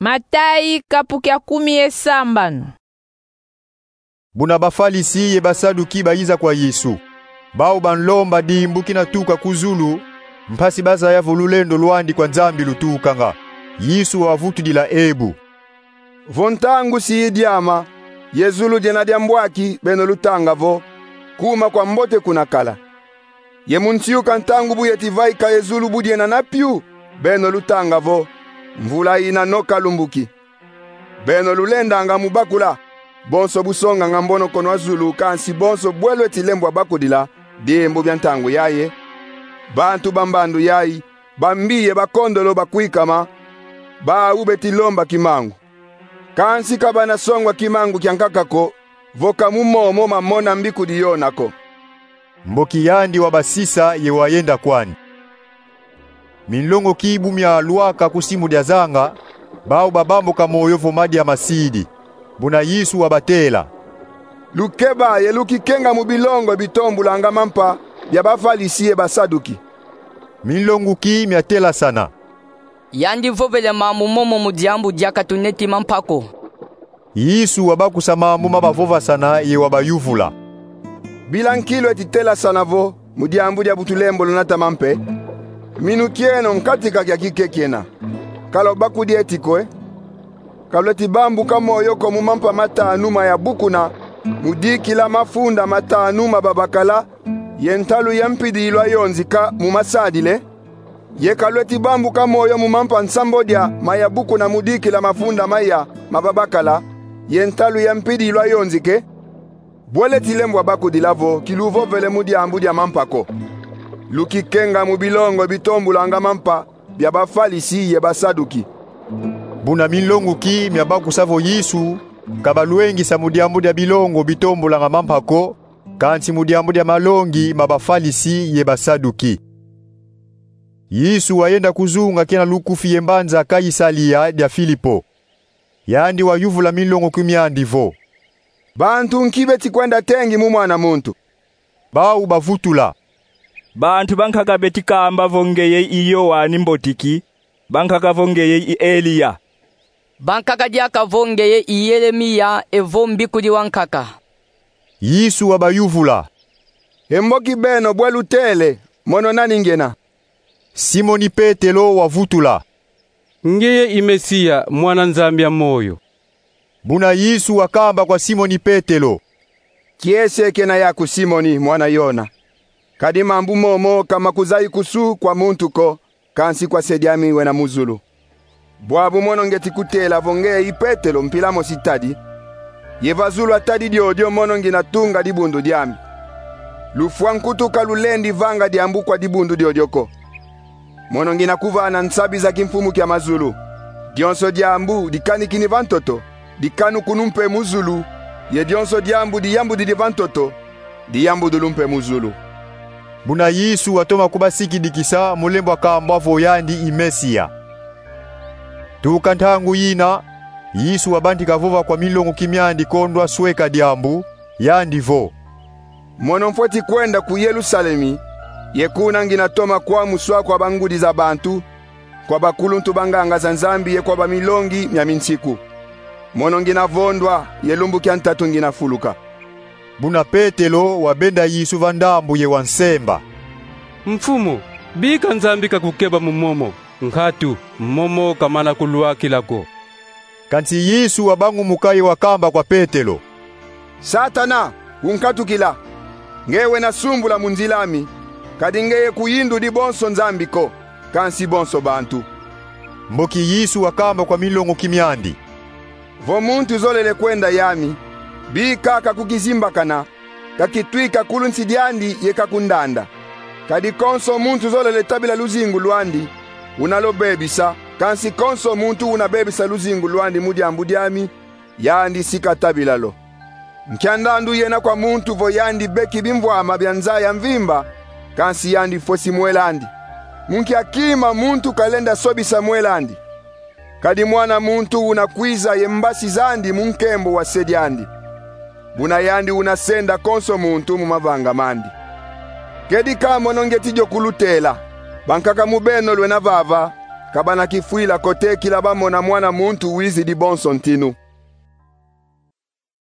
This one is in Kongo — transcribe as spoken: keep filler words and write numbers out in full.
Matayi kapu kia kumi ye sambanu. Buna Bafalisi ye Basaduki bayiza kwa Yesu. Bau banlomba dimbu kina tuka ku zulu, mpasi bazaya vo lulendo lwandi kwa Nzambi lutukanga. Yesu wavutudila ebu: Vo ntangu si idiama, ye zulu diena diambwaki, beno lutanga vo: Kuma kwa mbote kuna kala. Ye mu nsiuka ntangu bu yeti vaika ye zulu bu diena na piu, beno lutanga vo: Mvula ina no kalumbuki. Beno lulendanga mu bakula bonso bu songanga mbonokono a zulu, kansi bonso bwe lweti lembwa bakudila dimbu dia ntangu yayi, bantu ba mbandu yayi, bambi ye bakondolo bakwikama, bau beti lomba kimangu. Kansi ka bana songwa kimangu kia nkaka ko, vo ka mu momo mamona mbikudi yona ko. Mboki yandi wabasisa ye wayenda kwandi. Minlongoki bu mialwaka ku simu dia zanga, bau babambuka moyo vo madia masidi. Buna Yesu wabatela: Lukeba ye lukikenga mu bilongo bitombulanga mampa bia Bafalisi ye Basaduki. Minlongoki miatelasana: Yandi vovele mambu momo mu diambu diaka tuneti mampa ko. Yesu wabakusa mambu ma bavovasana ye wabayuvula: Bila nki lweti telasana vo mu diambu dia bu tulembolo nata mampe? Minu kieno nkatika kia kike kiena. Ka lwabakudi eti ko e? Ka lweti bambuka moyo ko mu mampa matanu mayabukuna mu dikila mafunda matanu ma babakala ye ntalu ya mpidi lwayonzika mu masadile? Ye ka lweti bambuka moyo mu mampa nsambodia mayabukuna mu dikila mafunda maya ma babakala ye ntalu ya mpidi lwayonzika e? Bwe lweti lembwa bakudila vo ki luvovele mu diambu dia mampa ko. Lukikenga mu bilongo bitombulanga mampa bia Bafalisi ye Basaduki. Buna minlongoki miabakusa vo Yesu ka balwengisa mu diambu dia bilongo bitombulanga mampa ko, kansi mu diambu dia malongi ma Bafalisi ye Basaduki. Yesu wayenda ku zunga kina lukufi ye mbanza Kaisalia dia Filipo. Yandi wayuvula minlongoki miandi vo: Bantu nki beti kwenda tengi mu Mwana muntu? Bau bavutula: Bantu bankaka beti kamba vo ngeye i Yoane Mbotiki, bankaka vo ngeye i Eliya, bankaka diaka vo ngeye i Yeremiya evo mbikudi wa nkaka. Yesu wabayuvula: E mboki beno, bwe lutele, mono nani ngena? Simoni Petelo wavutula: Ngeye i Mesiya, Mwana Nzambi ya moyo. Buna Yesu wakamba kwa Simoni Petelo: Kiese kena yaku, Simoni, mwana Yona. Kadi mambu momo ka makuzayi kusu kwa muntu ko, kansi kwa Se diami wena mu zulu. Bwabu mono ngeti kutela vo ngeye i Petelo, mpila mosi tadi, ye va zulu a tadi diodio mono ngina tunga dibundu diami. Lufwa nkutu ka lulendi vanga diambu kwa dibundu diodio ko. Mono ngina kuvana nsabi za kimfumu kia mazulu. Dionso diambu dikanikini va ntoto, dikanukunu mpe mu zulu, ye dionso diambu diyambudidi va ntoto, diyambudulu mpe mu zulu. Buna Yesu watoma kubasikidikisa mu lembwa kambwa vo yandi i Mesiya. Tuka ntangu yina, Yesu wabantika vova kwa minlongoki miandi kondwa sweka diambu, yandi vo: Mono mfweti kwenda ku Yerusalemi, ye kuna ngina toma kwamuswa kwa bangudi za bantu, kwa bakuluntu ba nganga za Nzambi ye kwa bamilongi mia minsiku. Mono ngina vondwa, ye lumbu kia ntatu ngina fuluka. Buna Petelo wabenda Yesu va ndambu ye wansemba: Mfumu, bika Nzambi kakukeba mu momo, nkatu momo kamana kulwakila ko. Kansi Yesu wabangumuka ye wakamba kwa Petelo: Satana, unkatukila! Ngeye wena sumbula mu nzila ami, kadi ngeye kuyindudi bonso Nzambi ko, kansi bonso bantu. Mboki Yesu wakamba kwa minlongoki miandi: Vo muntu zolele kwenda yami, bika kakukizimbakana, kakitwika kulu nsi diandi ye kakundanda. Kadi konso muntu zolele tabila luzingu lwandi, una lo bebisa, kansi konso muntu una bebisa luzingu lwandi mu diambu diami, yandi si katabila lo. Nkia ndandu yena kwa muntu vo yandi beki bimvwama bia nza ya mvimba, kansi yandi fwesi mwel'andi? Mu nkia kima muntu kalenda sobisa mwel'andi? Kadi Mwana muntu una kwiza ye mbasi zandi mu nkembo wa Se diandi. Buna yandi una senda konso muntu mu mavanga mandi. Kedika mono ngeti dio kulutela, bankaka mu beno lwena vava, ka bana kifwila ko te kila bamona Mwana Muntu wizidi bonso ntinu.